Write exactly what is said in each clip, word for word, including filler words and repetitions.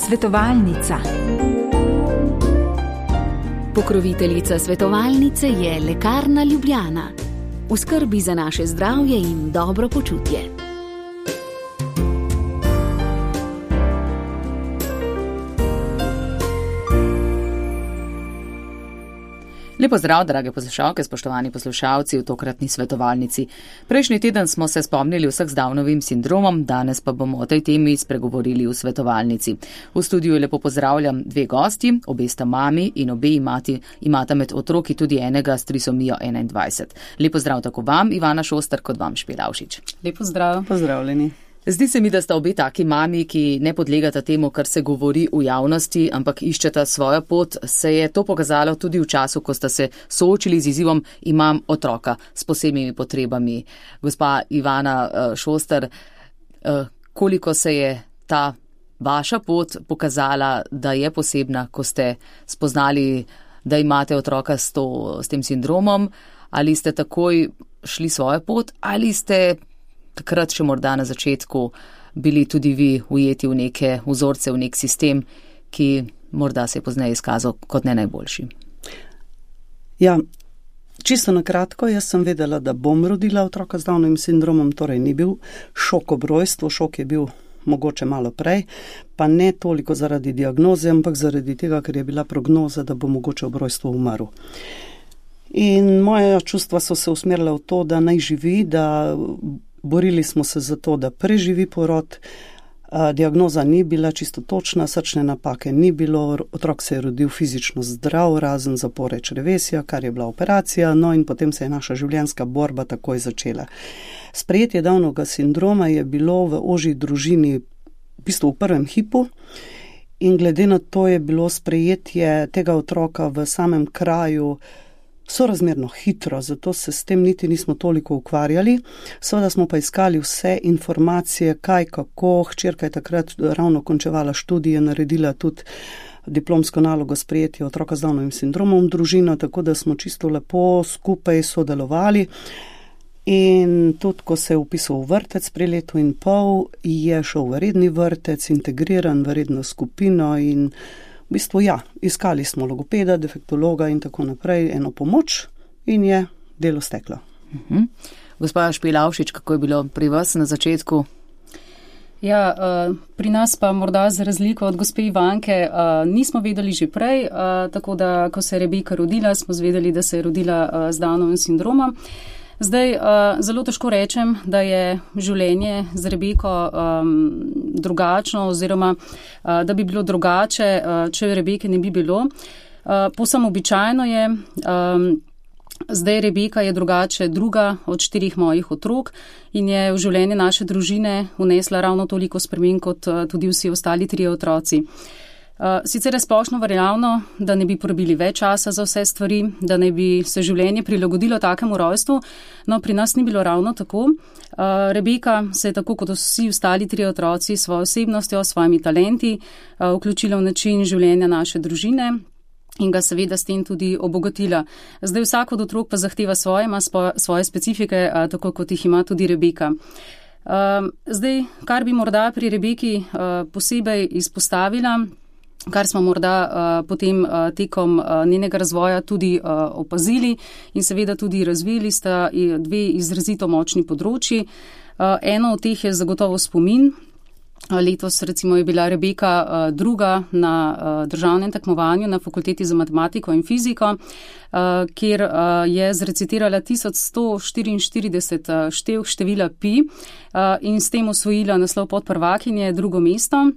Svetovalnica. Pokroviteljica svetovalnice je Lekarna Ljubljana. V skrbi za naše zdravje in dobro počutje. Lepo zdrav, drage poslušalke, spoštovani poslušalci v tokratni svetovalnici. Prejšnji teden smo se spomnili vseh z Downovim sindromom, danes pa bomo o tej temi spregovorili v svetovalnici. V studiu lepo pozdravljam dve gosti, obe sta mami in obe imati, imata med otroki tudi enega s trisomijo enaindvajset. Lepo zdrav tako vam, Ivana Šoster, kot vam, Špilavšič. Lepo zdrav. Pozdravljeni. Zdi se mi, da sta obe taki mami, ki ne podlegata temu, kar se govori v javnosti, ampak iščeta svojo pot. Se je to pokazalo tudi v času, ko sta se soočili z izzivom imam otroka s posebnimi potrebami. Gospa Ivana Šoster, koliko se je ta vaša pot pokazala, da je posebna, ko ste spoznali, da imate otroka s, to, s tem sindromom, ali ste takoj šli svojo pot, ali ste takrat še morda na začetku bili tudi vi ujeti v neke vzorce, v nek sistem, ki morda se je pozneje izkazal kot ne najboljši? Ja, čisto na kratko, jaz sem vedela, da bom rodila otroka z Downovim sindromom, torej ni bil šok ob rojstvu, šok je bil mogoče malo prej, pa ne toliko zaradi diagnoze, ampak zaradi tega, ker je bila prognoza, da bo mogoče ob rojstvu umrl. In moja čustva so se usmerila v to, da naj živi, da borili smo se za to, da preživi porod. Diagnoza ni bila čisto točna, srčne napake ni bilo, otrok se je rodil fizično zdrav, razen zapore črevesja, kar je bila operacija, no in potem se je naša življenjska borba takoj začela. Sprejetje Downovega sindroma je bilo v ožji družini v bistvu v prvem hipu in glede na to je bilo sprejetje tega otroka v samem kraju sorazmerno hitro, zato se s tem niti nismo toliko ukvarjali. Seveda smo pa iskali vse informacije, kaj, kako. Hčerka je takrat ravno končevala študije, naredila tudi diplomsko nalogo sprejetja otroka z Downovim sindromom v družino, tako da smo čisto lepo skupaj sodelovali. In tudi, ko se je vpisal v vrtec pri letu in pol, je šel v redni vrtec, integriran v redno skupino in v bistvu ja, iskali smo logopeda, defektologa in tako naprej, eno pomoč in je delo steklo. Uh-huh. Gospa Špilavšič, kako je bilo pri vas na začetku? Ja, pri nas pa morda za razliko od gospe Ivanke nismo vedeli že prej, tako da, ko se je Rebeka rodila, smo zvedeli, da se je rodila z Downovim sindromom. Zdaj, zelo težko rečem, da je življenje z Rebeko um, drugačno oziroma da bi bilo drugače, če Rebeke ne bi bilo. Povsem običajno je, um, zdaj Rebeka je drugače druga od štirih mojih otrok in je v življenje naše družine vnesla ravno toliko sprememb kot tudi vsi ostali trije otroci. Uh, sicer je splošno veljavno, da ne bi porabili več časa za vse stvari, da ne bi se življenje prilagodilo takemu rojstvu, no pri nas ni bilo ravno tako. Uh, Rebeka se je tako kot vsi ostali trije otroci s svojo osebnostjo, s svojimi talenti uh, vključila v način življenja naše družine in ga seveda s tem tudi obogatila. Zdaj vsak od otrok pa zahteva svoje, ima svoje specifike, uh, tako kot jih ima tudi Rebeka. Uh, zdaj, kar bi morda pri Rebeki uh, posebej izpostavila, kar smo morda uh, potem uh, tekom uh, njenega razvoja tudi uh, opazili in seveda tudi razvili, sta dve izrazito močni področji. Uh, eno od teh je zagotovo spomin. Uh, letos recimo je bila Rebeka uh, druga na uh, državnem tekmovanju na Fakulteti za matematiko in fiziko, uh, kjer uh, je zrecitirala tisoč sto štiriinštirideset uh, štev števila pi uh, in s tem osvojila naslov podprvakinje, drugo mesto.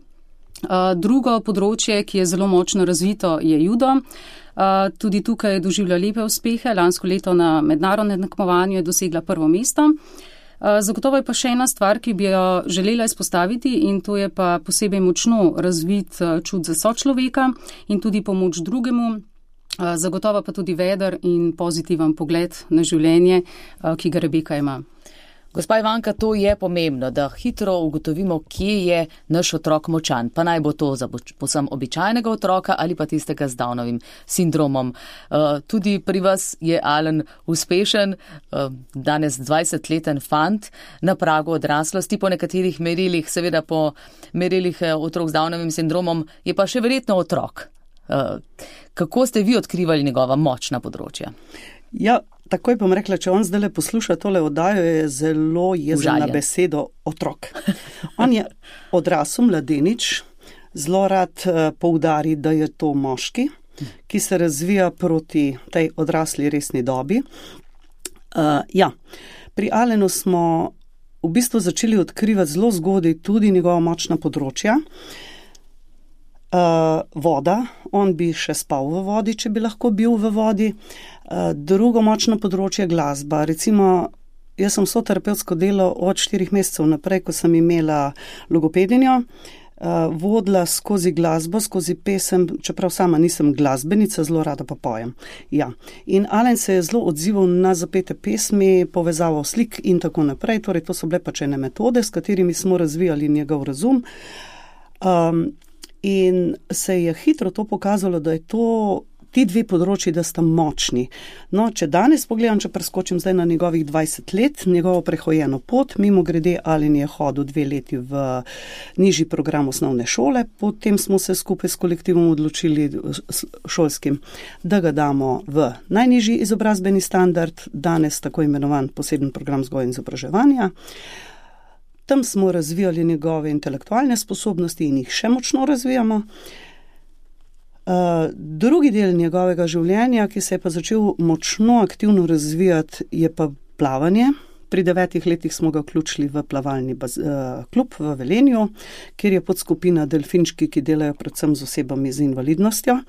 Uh, drugo področje, ki je zelo močno razvito, je judo. Uh, tudi tukaj je doživljala lepe uspehe. Lansko leto na mednarodnem tekmovanju je dosegla prvo mesto. Uh, zagotovo je pa še ena stvar, ki bi jo želela izpostaviti in to je pa posebej močno razvit uh, čut za sočloveka in tudi pomoč drugemu. Uh, zagotovo pa tudi veder in pozitiven pogled na življenje, uh, ki ga Rebeka ima. Gospa Ivanka, to je pomembno, da hitro ugotovimo, kje je naš otrok močan. Pa naj bo to za posem običajnega otroka ali pa tistega z Downovim sindromom. Tudi pri vas je Alen uspešen, danes dvajsetleten fant na pragu odraslosti po nekaterih merilih, seveda po merilih otrok z Downovim sindromom, je pa še verjetno otrok. Kako ste vi odkrivali njegova močna področja? Ja, takoj bom rekla, če on zdaj le posluša tole oddajo, je zelo jezen na besedo otrok. On je odrasel mladenič, zelo rad poudari, da je to moški, ki se razvija proti tej odrasli resni dobi. Uh, ja, pri Alenu smo v bistvu začeli odkrivati zelo zgodaj tudi njegova močna področja. Uh, voda, on bi še spal v vodi, če bi lahko bil v vodi. Uh, drugo močno področje je glasba. Recimo, jaz sem soterapevtsko delo od štirih mesecev naprej, ko sem imela logopedinjo, uh, vodila skozi glasbo, skozi pesem, čeprav sama nisem glasbenica, zelo rada pa pojem. Ja. In Alen se je zelo odzival na zapete pesmi, povezavo slik in tako naprej. Torej, to so bile pač ene metode, s katerimi smo razvijali njegov razum. Um, In se je hitro to pokazalo, da je to ti dve področji, da sta močni. No, če danes pogledam, če preskočim zdaj na njegovih dvajset let, njegovo prehojeno pot, mimo grede Alen je hodil dve leti v nižji program osnovne šole, potem smo se skupaj s kolektivom odločili šolskim, da ga damo v najnižji izobrazbeni standard, danes tako imenovan poseben program vzgoje in izobraževanja. Tam smo razvijali njegove intelektualne sposobnosti in jih še močno razvijamo. Uh, drugi del njegovega življenja, ki se je pa začel močno aktivno razvijati, je pa plavanje. Pri devetih letih smo ga vključili v plavalni baz, uh, klub v Velenju, kjer je podskupina delfinčki, ki delajo predvsem z osebami z invalidnostjo.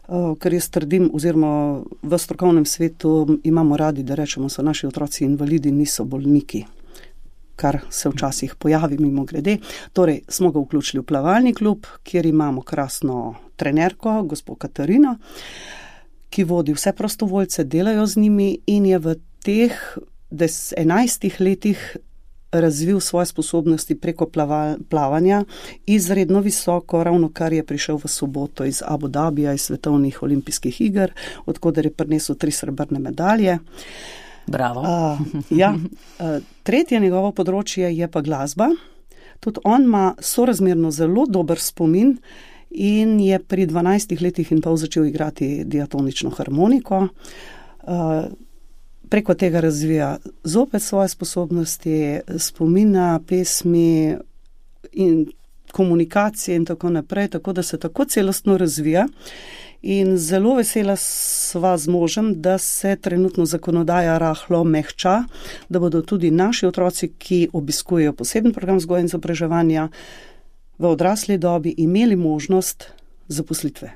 Uh, ker jaz trdim, oziroma v strokovnem svetu imamo radi, da rečemo, so naši otroci invalidi, niso bolniki, kar se včasih pojavi mimo grede. Torej, smo ga vključili v plavalni klub, kjer imamo krasno trenerko, gospo Katarino, ki vodi vse prostovoljce, delajo z njimi in je v teh enajstih letih razvil svoje sposobnosti preko plava, plavanja izredno visoko, ravno kar je prišel v soboto iz Abu Dhabija, iz svetovnih olimpijskih iger, odkoder je prinesel tri srebrne medalje. Bravo. Uh, ja. uh, tretje njegovo področje je pa glasba. Tudi on ima sorazmerno zelo dober spomin in je pri dvanajstih letih in pol začel igrati diatonično harmoniko. Uh, preko tega razvija zopet svoje sposobnosti, spomina, pesmi in komunikacije in tako naprej, tako da se tako celostno razvija. In zelo vesela sva z možem, da se trenutno zakonodaja rahlo mehča, da bodo tudi naši otroci, ki obiskujejo poseben program vzgoje in izobraževanja v odrasli dobi, imeli možnost zaposlitve.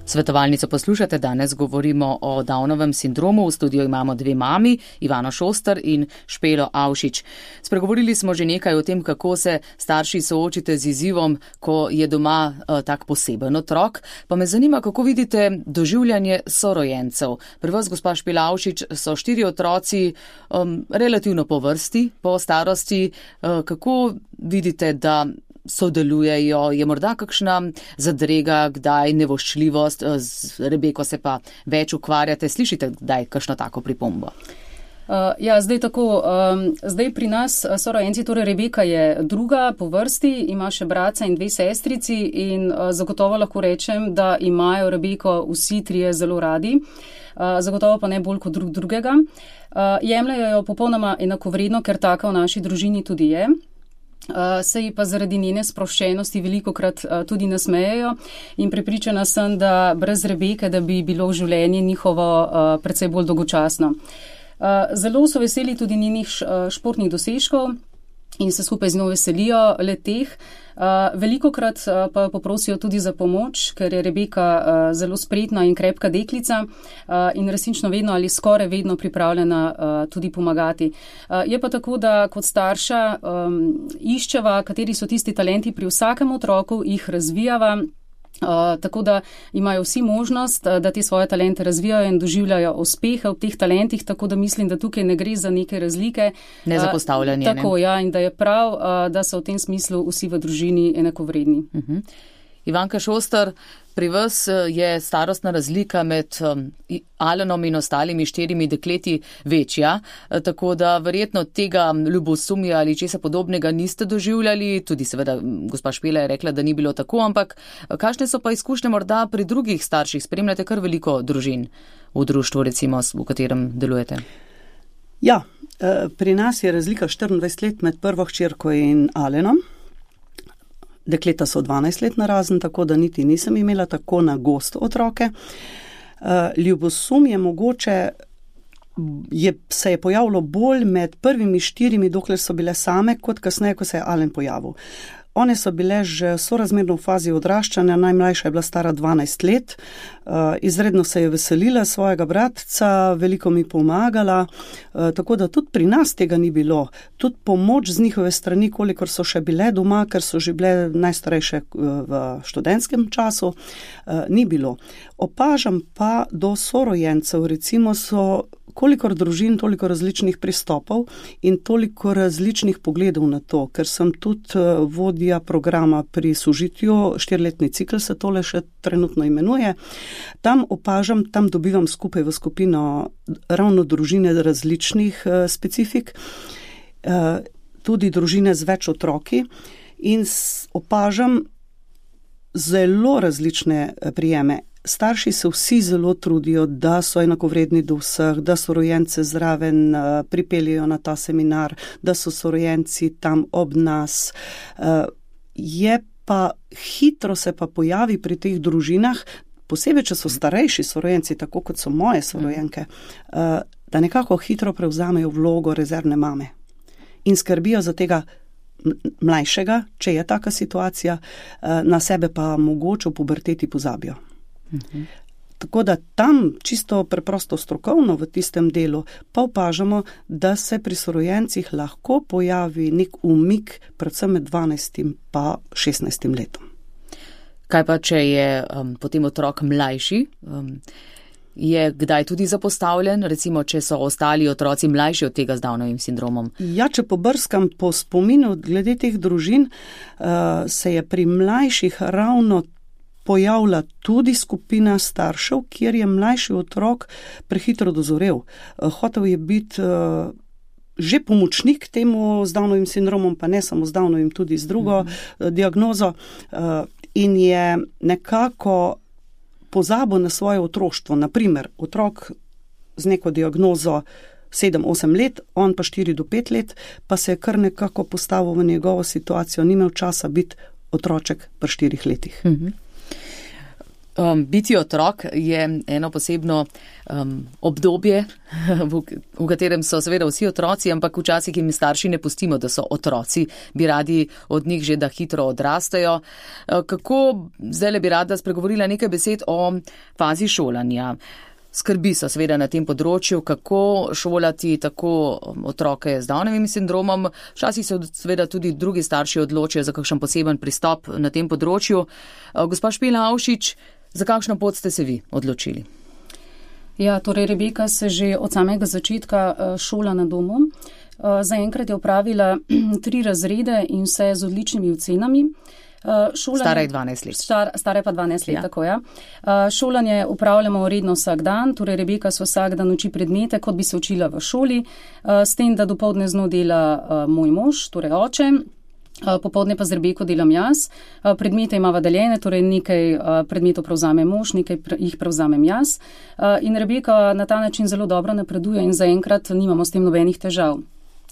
Svetovalnico poslušate, danes govorimo o Downovem sindromu. V studiu imamo dve mami, Ivano Šoster in Špelo Avšič. Spregovorili smo že nekaj o tem, kako se starši soočite z izzivom, ko je doma uh, tak poseben otrok. Pa me zanima, kako vidite doživljanje sorojencev. Pri vas, gospa Špela Avšič, so štiri otroci um, relativno po vrsti, po starosti. Uh, kako vidite, da sodelujejo, je morda kakšna zadrega, kdaj nevoščljivost, z Rebeko se pa več ukvarjate, slišite kdaj kakšno tako pripombo? Uh, ja, zdaj tako, um, zdaj pri nas sorojenci, torej Rebeka je druga po vrsti, ima še bratca in dve sestrici in uh, zagotovo lahko rečem, da imajo Rebeko vsi trije zelo radi, uh, zagotovo pa ne bolj kot drug drugega. Uh, jemljajo jo popolnoma enakovredno, ker taka v naši družini tudi je. Uh, se ji pa zaradi njene sproščenosti velikokrat uh, tudi nasmejejo in prepričana sem, da brez Rebeke, da bi bilo življenje njihovo uh, precej bolj dolgočasno. Uh, zelo so veseli tudi njenih uh, športnih dosežkov in se skupaj z njo veselijo le teh. Uh, velikokrat uh, pa poprosijo tudi za pomoč, ker je Rebeka uh, zelo spretna in krepka deklica uh, in resnično vedno ali skoraj vedno pripravljena uh, tudi pomagati. Uh, je pa tako, da kot starša um, iščeva, kateri so tisti talenti pri vsakem otroku, jih razvijava Uh, tako da imajo vsi možnost, uh, da te svoje talente razvijajo in doživljajo uspehe v teh talentih, tako da mislim, da tukaj ne gre za neke razlike. Ne za postavljanje. Uh, tako, ne? ja, in da je prav, uh, da so v tem smislu vsi v družini enakovredni. Uh-huh. Ivanka Šoster, pri vas je starostna razlika med um, Alenom in ostalimi štirimi dekleti večja, tako da verjetno tega ljubosumja ali česa podobnega niste doživljali, tudi seveda gospa Špela je rekla, da ni bilo tako, ampak kakšne so pa izkušnje morda pri drugih starših? Spremljate kar veliko družin v društvu, recimo, v katerem delujete. Ja, pri nas je razlika štiriindvajset let med prvo hčerko in Alenom. Dekleta so dvanajst let narazen, tako da niti nisem imela tako na gosto otroke. Ljubosum je mogoče, je, se je pojavilo bolj med prvimi štirimi, dokler so bile same, kot kasneje, ko se je Alen pojavil. One so bile že sorazmerno v fazi odraščanja, najmlajša je bila stara dvanajst let, izredno se je veselila svojega bratca, veliko mi pomagala, tako da tudi pri nas tega ni bilo. Tudi pomoč z njihove strani, kolikor so še bile doma, ker so že bile najstarejše v študentskem času, ni bilo. Opažam pa do sorojencev, recimo so kolikor družin, toliko različnih pristopov in toliko različnih pogledov na to, ker sem tudi vodja programa pri sožitju, štiriletni cikl se tole še trenutno imenuje. Tam opažam, tam dobivam skupaj v skupino ravno družine različnih uh, specifik, uh, tudi družine z več otroki in opažam zelo različne prijeme. Starši se vsi zelo trudijo, da so enakovredni do vseh, da so rojence zraven uh, pripeljajo na ta seminar, da so sorojenci tam ob nas. Uh, je pa hitro se pa pojavi pri teh družinah, posebej, če so starejši sorojenci, tako kot so moje sorojenke, uh, da nekako hitro prevzamejo vlogo rezervne mame in skrbijo za tega mlajšega, če je taka situacija, uh, na sebe pa mogoče v puberteti pozabijo. Uhum. Tako da tam čisto preprosto strokovno v tistem delu pa opažamo, da se pri sorojencih lahko pojavi nek umik predvsem med dvanajstim pa šestnajstim letom. Kaj pa, če je um, potem otrok mlajši? Um, je kdaj tudi zapostavljen, recimo, če so ostali otroci mlajši od tega z Downovim sindromom? Ja, če pobrskam po spominu glede teh družin, uh, se je pri mlajših ravno pojavila tudi skupina staršev, kjer je mlajši otrok prehitro dozorel. Hotel je biti uh, že pomočnik temu z Downovim sindromom, pa ne samo z Downovim, tudi z drugo mm-hmm. diagnozo uh, in je nekako pozabil na svoje otroštvo. Naprimer, otrok z neko diagnozo sedem osem let, on pa štiri do pet let, pa se je kar nekako postavil v njegovo situacijo, ni imel časa biti otroček pri štirih letih. Mm-hmm. Um, biti otrok je eno posebno um, obdobje, v, v katerem so seveda vsi otroci, ampak včasih jim starši ne pustimo, da so otroci, bi radi od njih že, da hitro odrastejo. Uh, kako, zdaj bi rada spregovorila nekaj besed o fazi šolanja. Skrbi so seveda na tem področju, kako šolati tako otroke z Downovim sindromom. Včasih se seveda tudi drugi starši odločijo za kakšen poseben pristop na tem področju. Uh, gospa Špela Avšič, za kakšno pot ste se vi odločili? Ja, torej Rebeka se že od samega začetka šola na domu. Zaenkrat je opravila tri razrede in vse z odličnimi ocenami. Šolanje, stara je dvanajst let. Star, stara je pa dvanajst let, ja. Tako ja. Šolanje upravljamo redno vsak dan, torej Rebeka se vsak dan uči predmete, kot bi se učila v šoli, s tem, da dopoldne z njo dela moj mož, torej oče. Popoldne pa z Rebeko delam jaz. Predmete imava deljene, torej nekaj predmetov prevzame mož, nekaj jih prevzamem jaz. In Rebeka na ta način zelo dobro napreduje in zaenkrat nimamo s tem nobenih težav.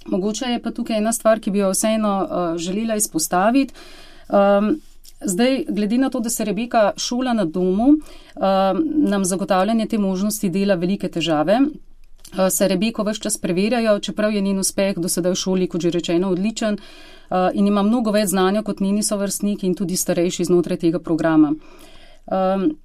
Mogoče je pa tukaj ena stvar, ki bi jo vseeno želela izpostaviti. Zdaj, glede na to, da se Rebeka šola na domu, nam zagotavljanje te možnosti dela velike težave. Se Rebeko ves čas preverjajo, čeprav je njen uspeh do sedaj v šoli, kot že rečeno, odličen in ima mnogo več znanja kot njeni sovrstniki in tudi starejši znotraj tega programa. Um,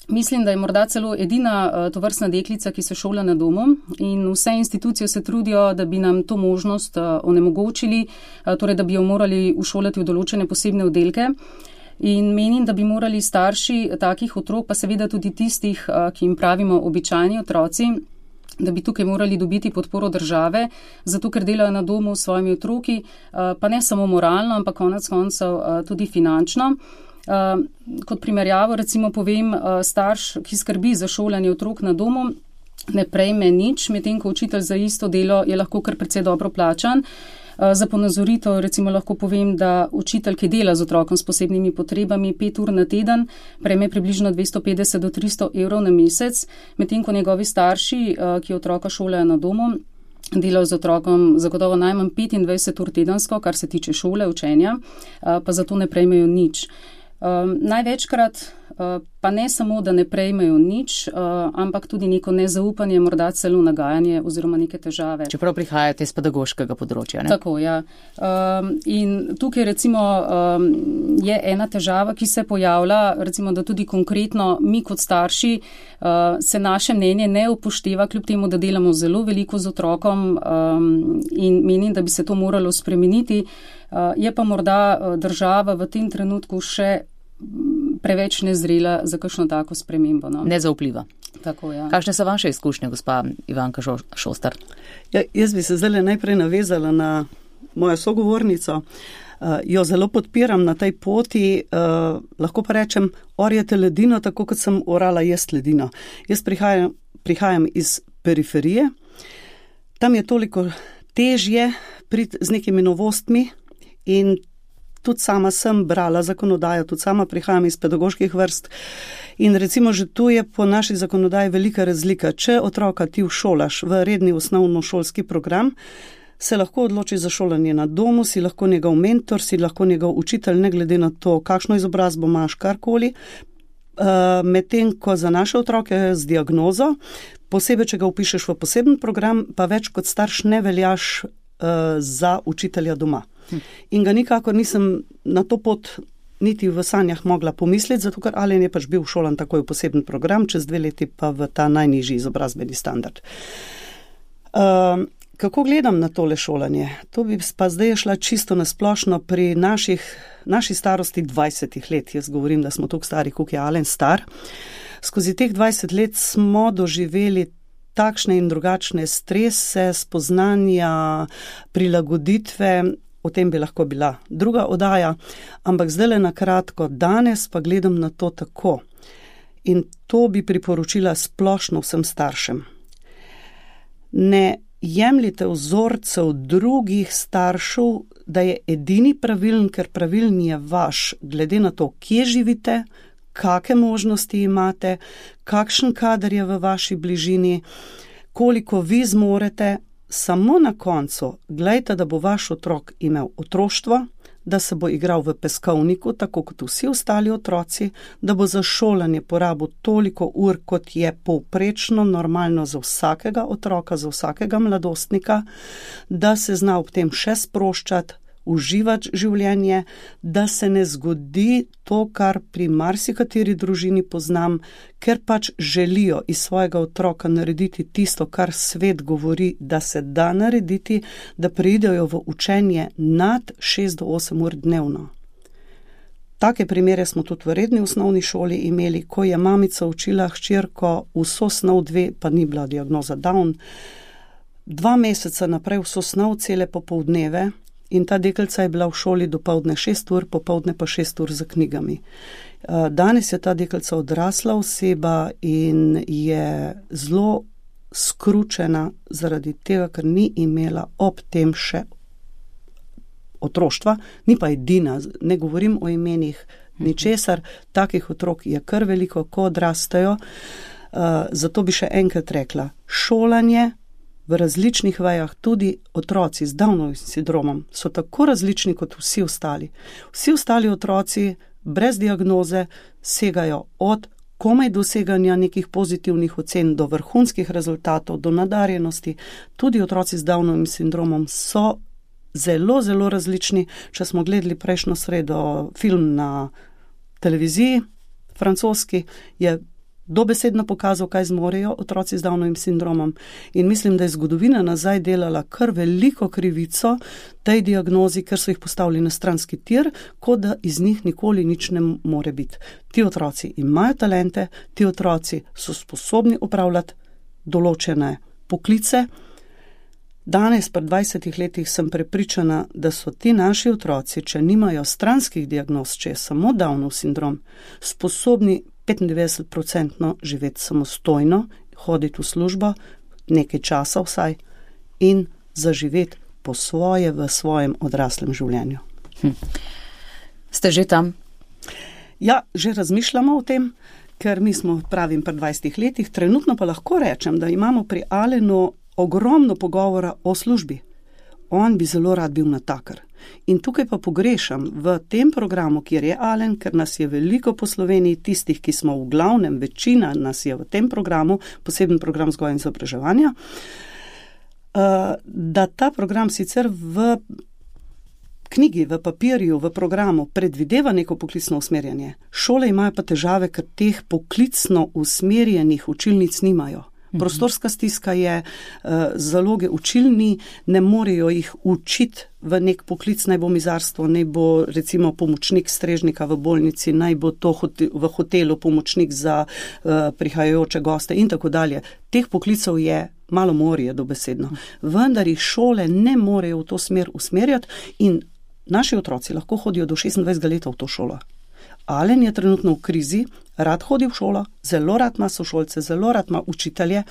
mislim, da je morda celo edina uh, tovrstna deklica, ki se šola na domu in vse institucije se trudijo, da bi nam to možnost uh, onemogočili, uh, torej da bi jo morali ušolati v določene posebne oddelke. In menim, da bi morali starši takih otrok, pa seveda tudi tistih, ki jim pravimo običajni otroci, da bi tukaj morali dobiti podporo države, zato ker delajo na domu s svojimi otroki, pa ne samo moralno, ampak konec koncev tudi finančno. Kot primerjavo recimo povem, starš, ki skrbi za šolanje otrok na domu, ne prejme nič, medtem ko učitelj za isto delo je lahko kar precej dobro plačan. Za ponazoritev recimo lahko povem, da učitelj, ki dela z otrokom s posebnimi potrebami pet ur na teden, prejme približno dvesto petdeset do tristo evrov na mesec, medtem ko njegovi starši, ki otroka šolajo na domu, delajo z otrokom zagotovo najmanj petindvajset ur tedensko, kar se tiče šole, učenja, pa zato ne prejmejo nič. Um, največkrat uh, pa ne samo, da ne prejmejo nič, uh, ampak tudi neko nezaupanje, morda celo nagajanje oziroma neke težave. Čeprav prihajate iz pedagoškega področja, ne? Tako, ja. Um, in tukaj recimo um, je ena težava, ki se pojavlja, recimo, da tudi konkretno mi kot starši uh, se naše mnenje ne upošteva, kljub temu, da delamo zelo veliko z otrokom um, in menim, da bi se to moralo spremeniti. Uh, je pa morda država v tem trenutku še preveč nezrela za kakšno tako spremembo. No? Nezaupljiva. Tako, ja. Kakšne so vaše izkušnje, gospa Ivanka Šostar? Ja, jaz bi se zdaj najprej navezala na mojo sogovornico. Uh, jo zelo podpiram na tej poti. Uh, lahko pa rečem, orjete ledino, tako kot sem orala jaz ledino. Jaz prihajam, prihajam iz periferije. Tam je toliko težje priti z nekimi novostmi in tudi sama sem brala zakonodajo, tudi sama prihajam iz pedagoških vrst in recimo že tu je po naši zakonodaji velika razlika. Če otroka ti všolaš v redni osnovnošolski program, se lahko odloči za šolanje na domu, si lahko njegov mentor, si lahko njegov učitelj, ne glede na to, kakšno izobrazbo imaš, karkoli. Uh, medtem ko za naše otroke z diagnozo, posebej, če ga upišeš v poseben program, pa več kot starš ne veljaš uh, za učitelja doma. In ga nikakor nisem na to pot niti v sanjah mogla pomisliti, zato ker Alen je pač bil šolan takoj v poseben program, čez dve leti pa v ta najnižji izobrazbeni standard. Uh, kako gledam na tole šolanje? To bi pa zdaj šla čisto nasplošno pri naših, naši starosti dvajsetih let. Jaz govorim, da smo toliko stari, koliko je Alen star. Skozi teh dvajset let smo doživeli takšne in drugačne strese, spoznanja, prilagoditve. O tem bi lahko bila druga oddaja, ampak zdajle na kratko, danes pa gledam na to tako. In to bi priporočila splošno vsem staršem. Ne jemljite vzorcev drugih staršev, da je edini pravilen, ker pravilen je vaš, glede na to, kje živite, kakšne možnosti imate, kakšen kader je v vaši bližini, koliko vi zmorete. Samo na koncu gledajte, da bo vaš otrok imel otroštvo, da se bo igral v peskovniku, tako kot vsi ostali otroci, da bo za šolanje porabil toliko ur, kot je povprečno normalno za vsakega otroka, za vsakega mladostnika, da se zna ob tem še sproščati, uživati življenje, da se ne zgodi to, kar pri marsikateri družini poznam, ker pač želijo iz svojega otroka narediti tisto, kar svet govori, da se da narediti, da pridejo v učenje nad šest do osem ur dnevno. Take primere smo tudi v redni osnovni šoli imeli, ko je mamica učila hčerko vso snov dve, pa ni bila diagnoza Down, dva meseca naprej vso snov cele popoldneve. In ta deklica je bila v šoli dopoldne šest ur, popoldne pa šest ur za knjigami. Danes je ta deklica odrasla oseba in je zelo skručena zaradi tega, ker ni imela ob tem še otroštva, ni pa edina, ne govorim o imenih ničesar, takih otrok je kar veliko, ko odrastajo. Zato bi še enkrat rekla, šolanje v različnih vejah, tudi otroci z Downovim sindromom, so tako različni kot vsi ostali. Vsi ostali otroci brez diagnoze segajo od komaj doseganja nekih pozitivnih ocen do vrhunskih rezultatov, do nadarjenosti. Tudi otroci z Downovim sindromom so zelo, zelo različni. Če smo gledali prejšnjo sredo film na televiziji, francoski, je dobesedno pokazal, kaj zmorejo otroci z Downovim sindromom. In mislim, da je zgodovina nazaj delala kar veliko krivico tej diagnozi, ker so jih postavili na stranski tir, kot da iz njih nikoli nič ne more biti. Ti otroci imajo talente, ti otroci so sposobni upravljati določene poklice. Danes, pred dvajsetih letih, sem prepričana, da so ti naši otroci, če nimajo stranskih diagnoz, če je samo Downov sindrom, sposobni petindevetdeset procentno živeti samostojno, hoditi v službo, nekaj časa vsaj, in zaživeti po svoje v svojem odraslem življenju. Hm. Ste že tam? Ja, že razmišljamo o tem, ker mi smo, pravim, pred dvajsetih letih, trenutno pa lahko rečem, da imamo pri Alenu ogromno pogovora o službi. On bi zelo rad bil natakar. In tukaj pa pogrešam v tem programu, kjer je Alen, ker nas je veliko po Sloveniji, tistih, ki smo v glavnem, večina nas je v tem programu, poseben program vzgoje in izobraževanja, da ta program sicer v knjigi, v papirju, v programu predvideva neko poklicno usmerjanje. Šole imajo pa težave, ker teh poklicno usmerjenih učilnic nimajo. Prostorska stiska je, zaloge učilni, ne morejo jih učiti v nek poklic, naj bo mizarstvo, naj bo recimo pomočnik strežnika v bolnici, naj bo to v hotelu pomočnik za prihajajoče goste in tako dalje. Teh poklicov je malo morje dobesedno. Vendar jih šole ne morejo v to smer usmerjati in naši otroci lahko hodijo do šestindvajsetega leta v to šolo. Alen je trenutno v krizi, rad hodi v šolo, zelo rad ima sošolce, zelo rad ima učitelje,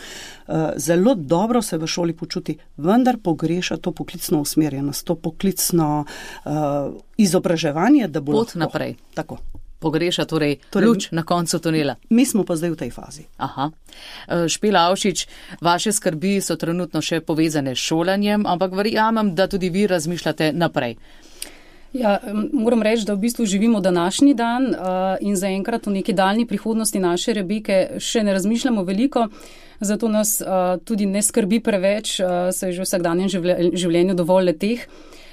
zelo dobro se v šoli počuti, vendar pogreša to poklicno usmerjenost, to poklicno uh, izobraževanje, da bo pot naprej. Tako. Pogreša torej, torej luč na koncu tunela. Mi smo pa zdaj v tej fazi. Aha. Špela Avšič, vaše skrbi so trenutno še povezane s šolanjem, ampak verjamem, da tudi vi razmišljate naprej. Ja, moram reči, da v bistvu živimo današnji dan uh, in zaenkrat v neki daljni prihodnosti naše Rebeke še ne razmišljamo veliko, zato nas uh, tudi ne skrbi preveč, uh, se je že v vsakdanjem življenju dovolj leteh.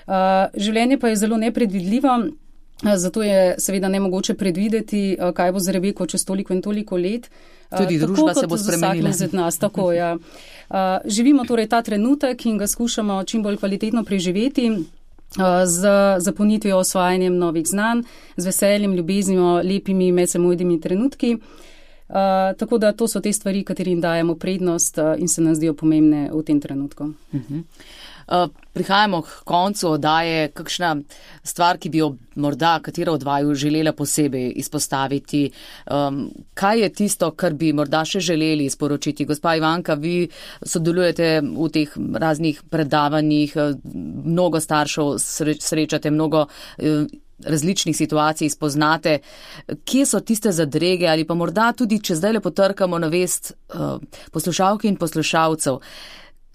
Uh, življenje pa je zelo nepredvidljivo, uh, zato je seveda nemogoče predvideti, uh, kaj bo z Rebeko čez toliko in toliko let. Tudi uh, družba se bo spremenila. Nas, tako, ja. uh, živimo torej ta trenutek in ga skušamo čim bolj kvalitetno preživeti. Z zapolnitvijo, osvajanjem novih znanj, z veseljem, ljubeznijo, lepimi medsebojnimi trenutki. Uh, tako da to so te stvari, katerim dajemo prednost uh, in se nam zdijo pomembne v tem trenutku. Uh-huh. Uh, prihajamo k koncu oddaje. Kakšna stvar, ki bi jo morda katero od vaju želela posebej izpostaviti? Um, kaj je tisto, kar bi morda še želeli sporočiti? Gospa Ivanka, vi sodelujete v teh raznih predavanjih, mnogo staršev srečate, mnogo uh, različnih situacij spoznate. Kje so tiste zadrege ali pa morda tudi, če zdaj le potrkamo na vest uh, poslušalk in poslušalcev,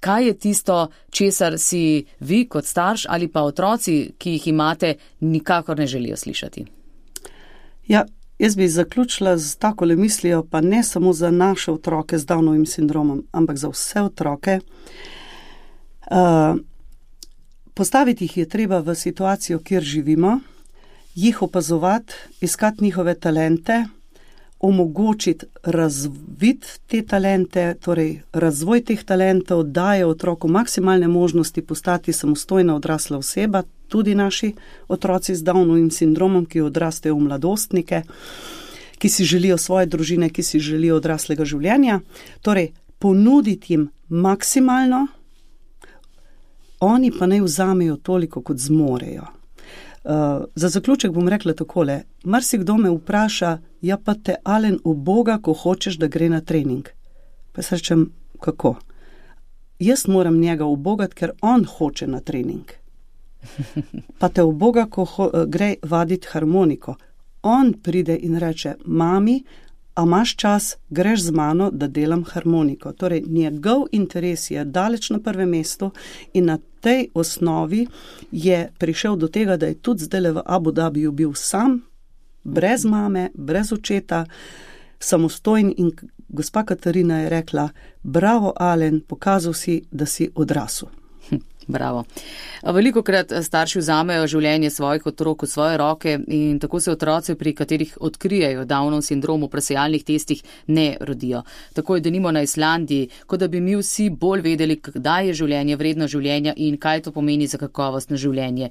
kaj je tisto, česar si vi kot starš ali pa otroci, ki jih imate, nikakor ne želijo slišati? Ja, jaz bi zaključila z takole mislijo, pa ne samo za naše otroke z Downovim sindromom, ampak za vse otroke. Uh, postaviti jih je treba v situacijo, kjer živimo, jih opazovati, iskati njihove talente, omogočiti razviti te talente, torej razvoj teh talentov, daje otroku maksimalne možnosti postati samostojna odrasla oseba, tudi naši otroci z Downovim sindromom, ki odrastejo v mladostnike, ki si želijo svoje družine, ki si želijo odraslega življenja. Torej, ponuditi jim maksimalno, oni pa naj vzamejo toliko, kot zmorejo. Uh, za zaključek bom rekla takole. Marsikdo me vpraša, ja pa te Alen uboga, ko hočeš, da gre na trening. Pa se rečem, kako? Jaz moram njega ubogati, ker on hoče na trening. Pa te uboga, ko ho, gre vaditi harmoniko. On pride in reče, mami, a imaš čas, greš z mano, da delam harmoniko. Torej, njegov interes je daleč na prvem mestu in na tej osnovi je prišel do tega, da je tudi zdaj v Abu Dhabiju bil sam, brez mame, brez očeta, samostojen in gospa Katarina je rekla, bravo Alen, pokazal si, da si odrasel. Bravo. Veliko krat starši vzamejo življenje svojih otrok v svoje roke in tako se otroci, pri katerih odkrijejo Downov sindrom v presejalnih testih, ne rodijo. Tako je denimo na Islandiji, kot da bi mi vsi bolj vedeli, kdaj je življenje vredno življenja in kaj to pomeni za kakovostno življenje.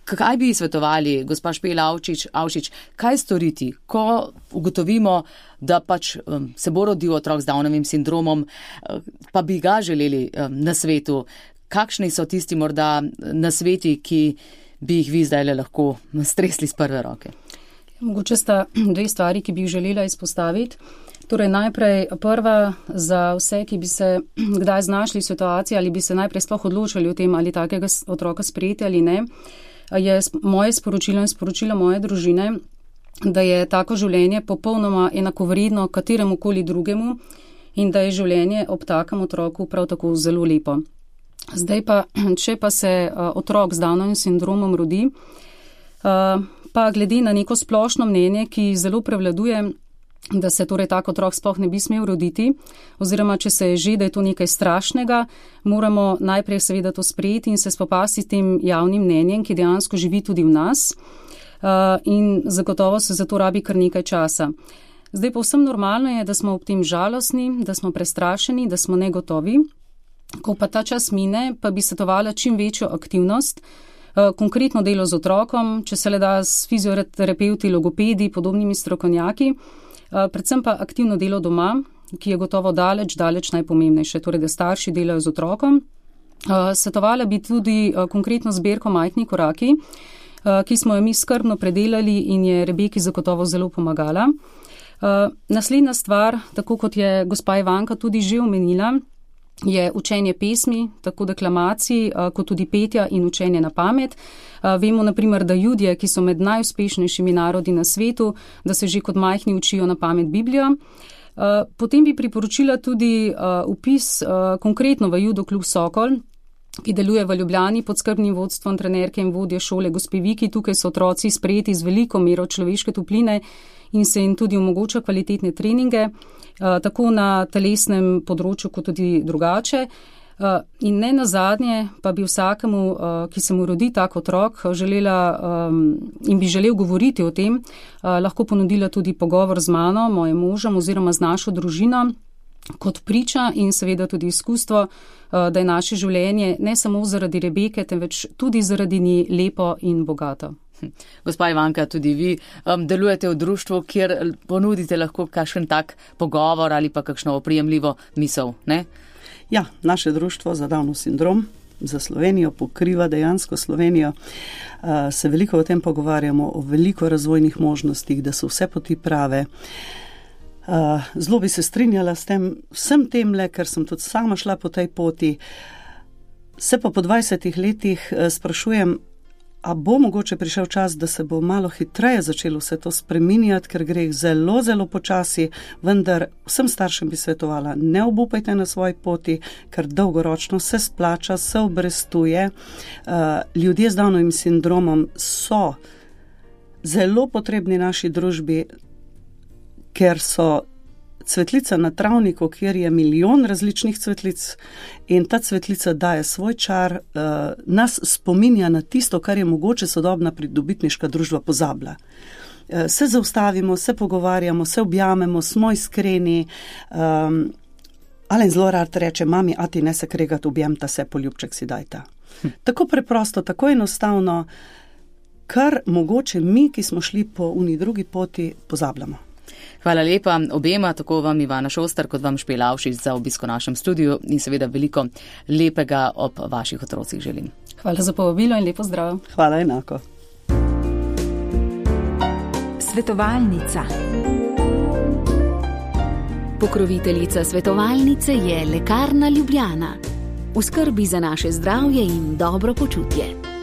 Kaj bi svetovali, gospa Špela Avšič, Avšič, kaj storiti, ko ugotovimo, da pač um, se bo rodil otrok z Downovim sindromom, pa bi ga želeli um, na svetu? Kakšni so tisti morda nasveti, ki bi jih vi zdaj lahko stresli z prve roke? Mogoče sta dve stvari, ki bi jih želela izpostaviti. Torej najprej prva za vse, ki bi se kdaj znašli v situaciji ali bi se najprej sploh odločili o tem, ali takega otroka sprejeti ali ne, je moje sporočilo in sporočilo moje družine, da je tako življenje popolnoma enakovredno kateremu koli drugemu in da je življenje ob takem otroku prav tako zelo lepo. Zdaj pa, če pa se uh, otrok z Downovim sindromom rodi, uh, pa glede na neko splošno mnenje, ki zelo prevladuje, da se torej tak otrok sploh ne bi smel roditi, oziroma če se je že, da je to nekaj strašnega, moramo najprej seveda to sprejeti in se spopasti s tem javnim mnenjem, ki dejansko živi tudi v nas uh, in zagotovo se za to rabi kar nekaj časa. Zdaj povsem normalno je, da smo ob tem žalostni, da smo prestrašeni, da smo negotovi. Ko pa ta čas mine, pa bi svetovala čim večjo aktivnost, konkretno delo z otrokom, če se le da s fizioterapeuti, logopedi, podobnimi strokovnjaki, predvsem pa aktivno delo doma, ki je gotovo daleč, daleč najpomembnejše, torej da starši delajo z otrokom. Svetovala bi tudi konkretno zbirko Majhni koraki, ki smo jo mi skrbno predelali in je Rebeki zagotovo zelo pomagala. Naslednja stvar, tako kot je gospa Ivanka tudi že omenila, je učenje pesmi, tako deklamacij, kot tudi petja in učenje na pamet. Vemo naprimer, da Judje, ki so med najuspešnejšimi narodi na svetu, da se že kot majhni učijo na pamet Biblijo. Potem bi priporočila tudi upis konkretno v Judo klub Sokol, ki deluje v Ljubljani pod skrbnim vodstvom trenerke in vodje šole gospe Viki. Tukaj so otroci sprejeti z veliko mero človeške topline in se jim tudi omogoča kvalitetne treninge, tako na telesnem področju, kot tudi drugače. In ne nazadnje pa bi vsakemu, ki se mu rodi tak otrok, želela in bi želel govoriti o tem, lahko ponudila tudi pogovor z mano, mojim možem oziroma z našo družino, kot priča in seveda tudi izkustvo, da je naše življenje ne samo zaradi Rebeke, temveč tudi zaradi nje lepo in bogato. Gospa Ivanka, tudi vi um, delujete v društvu, kjer ponudite lahko kakšen tak pogovor ali pa kakšno oprijemljivo misel, ne? Ja, naše društvo za Downov sindrom za Slovenijo pokriva dejansko Slovenijo. Uh, se veliko o tem pogovarjamo, o veliko razvojnih možnostih, da so vse poti prave. Uh, zelo bi se strinjala s tem, vsem temle, ker sem tudi sama šla po tej poti. Se pa po dvajsetih letih uh, sprašujem, a bo mogoče prišel čas, da se bo malo hitreje začelo vse to spreminjati, ker gre zelo, zelo počasi, vendar vsem staršem bi svetovala, ne obupajte na svoji poti, ker dolgoročno se splača, se obrestuje. Uh, ljudje z Downovim sindromom so zelo potrebni naši družbi, ker so cvetlica na travniku, kjer je milijon različnih cvetlic in ta cvetlica daje svoj čar, uh, nas spominja na tisto, kar je mogoče sodobna pridobitniška družba pozabila. Uh, se zaustavimo, se pogovarjamo, se objamemo, smo iskreni. Um, Alen zelo rad reče, mami, a ti ne se kregat, objemta se, poljubček si dajta. Hm. Tako preprosto, tako enostavno, kar mogoče mi, ki smo šli po uni drugi poti, pozabljamo. Hvala lepa obema, tako vam Ivana Šoster, kot vam Špela Avšič za obisk v našem studiu in seveda veliko lepega ob vaših otrocih želim. Hvala za povabilo in lepo zdrav. Hvala enako. Svetovalnica. Pokroviteljica svetovalnice je Lekarna Ljubljana. V skrbi za naše zdravje in dobro počutje.